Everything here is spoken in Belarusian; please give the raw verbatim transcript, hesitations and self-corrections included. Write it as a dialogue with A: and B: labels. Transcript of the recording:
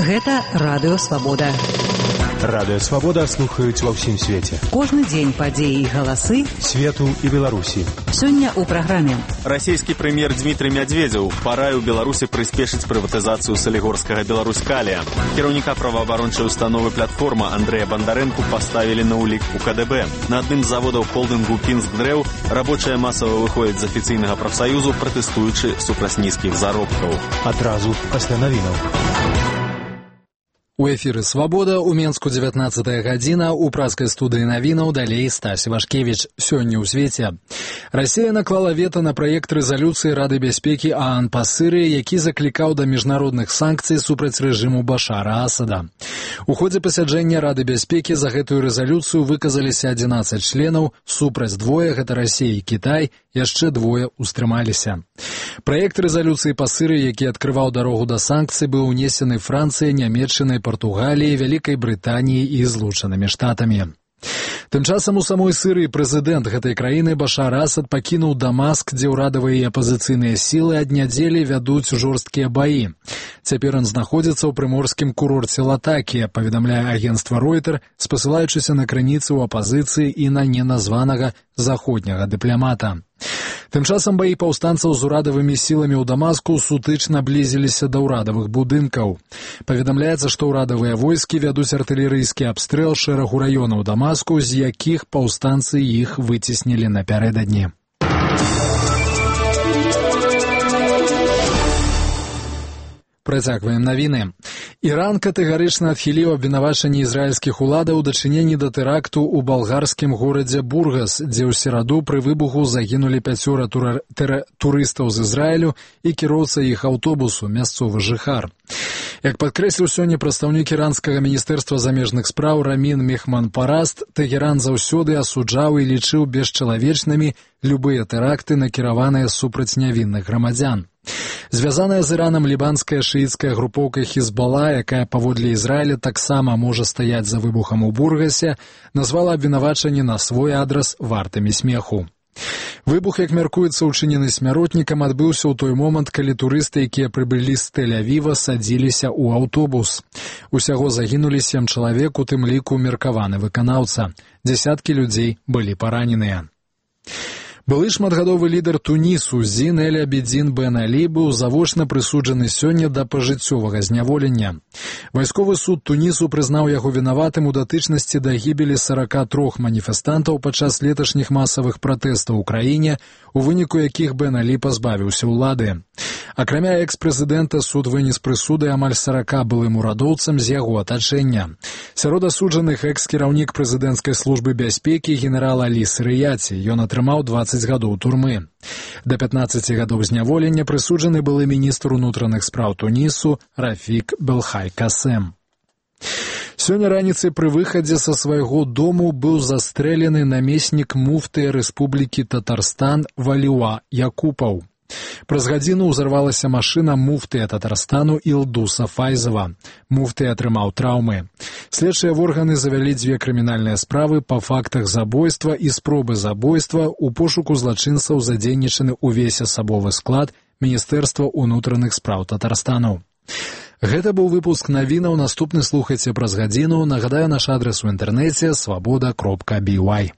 A: Гэта Радыё Свабода.
B: Радыё Свабода слухаюць ва ўсім свеце.
A: Кожны дзень падзеі і галасы
B: свету і Беларусі.
A: Сёння ў праграме.
C: Расійскі прэм'ер Дмітрый Мядзведзеў параіў Беларусі прыспешыць прыватызацыю салігорскага Беларусь-Калія. Кіраўніка праваабарончай установы «Платформа» Андрэя Бандарэнку паставілі на ўлік у ка дэ бэ. На адным з заводаў холдынгу «Пінскдрэў» рабочыя масава выходзяць з афіцыйнага прафсаюзу, пратэстуючы супраць нізкіх заробкаў.
B: Адразу пасля навінаў.
D: У эфіры «Свабода» у Менску дзевятнаццатая гадзіна, у праскай студыі навінаў далей Стась Вашкевіч. Сёння ў свеце. Расія наклала вета на праект рэзалюцыі Рады бяспекі ААН па Сырыі, які заклікаў да міжнародных санкцый супраць рэжыму Башара Асада. У ходзе пасяджэння Рады бяспекі за гэтую рэзалюцыю выказаліся адзінаццаць членаў, супраць двое, гэта Расія і Кітай, яшчэ двое устрымаліся. Праект рэзалюцыі па Сырыі, які адкрываў дарогу да санкцый, быў унесены Францыяй, Нямецчынай, Партугаліяй, Вялікай Брытаніяй і Злучанымі Штатамі. Тым часам у самой Сырыі прэзідэнт гэтай краіны Башар Асад пакінуў Дамаск, дзе ўрадавыя і апазіцыйныя сілы ад нядзелі вядуць жорсткія баі. Цяпер ён знаходзіцца ў прыморскім курорце Латакія, паведамляе агенцтва Ройтер, спасылаючыся на крыніцы ў апазіцыі і на неназванага заходняга дыпламата. Тым часам баі паўстанцаў з урадавымі сіламі ў Дамаску сутычна блізіліся да ўрадавых будынкаў. Паведамляецца, што ўрадавыя войскі вядуць артылерыйскі абстрэл шэрагу раёнаў Дамаску, з якіх паўстанцы іх выцеснілі напярэдадні. Працягваем навіны. Іран катэгарычна адхіліў абвінавачанні ізраільскіх уладаў у дачыненні да тэракту ў балгарскім горадзе Бургас, дзе ў сераду пры выбуху загінулі пяцёра тура... тэр... турыстаў з Ізраілю і кіроўца іх аўтобусу, мясцовы жыхар. Як падкрэсліў сёння прадстаўнік іранскага міністэрства замежных спраў Рамін Мехманпараст, Тэгеран заўсёды асуджаў і лічыў бесчалавечнымі любыя тэракты, накіраваныя супраць нявінных грамадзян. Звязаная з Іранам лібанская шыіцкая групоўка Хізбала, якая паводле Ізраіля таксама можа стаяць за выбухам у Бургасе, назвала абвінавачанні на свой адрас вартымі смеху. Выбух, як мяркуецца, учынены смяротнікам, адбыўся ў той момант, калі турысты, якія прыбылі з Тель-Авіва, садзіліся ў аўтобус. Усяго загінулі сем чалавек, у тым ліку меркаваны выканаўца. Дзясяткі людзей былі параненыя. Былы шматгадовы лідар Тунісу Зін эль-Абідзін Бен Алі быў завочна прысуджаны сёння да пажыццёвага зняволення. Вайсковы суд Тунісу прызнаў яго вінаватым у датычнасці да гібелі сарака трох маніфестантаў падчас леташніх масавых пратэстаў у краіне, у выніку якіх Бен Алі пазбавіўся ўлады. Акрамя экс-прэзідэнта, суд вынес прысуды амаль сарака былым урадоўцам з яго атачэння. Сярод асуджаных экс-кіраўнік прэзідэнцкай службы бяспекі генерал Алі Сырыяці. Ён атрымаў дваццаць гадоў турмы. Да пятнаццаці гадоў зняволення прысуджаны былы міністр унутраных спраў Тунісу Рафік Белхай Касем. Сёння раніцай пры выхадзе са свайго дому быў застрэлены намеснік муфтыя Рэспублікі Татарстан Валіуа Якупаў. Праз гадзіну ўзарвалася машына муфтыя Татарстану Ілдуса Файзова. Муфты атрымаў траўмы. Следчыя органы завялі дзве крымінальныя справы па фактах забойства і спробы забойства у пошуку злачынцаў, задзейнічаны ўвесь асабовы склад Міністэрства ўнутраных спраў Татарстану. Гэта быў выпуск навінаў, наступны слухайце праз гадзіну. Нагадаю, наш адрас у інтэрнэце свабода кропка бі вай.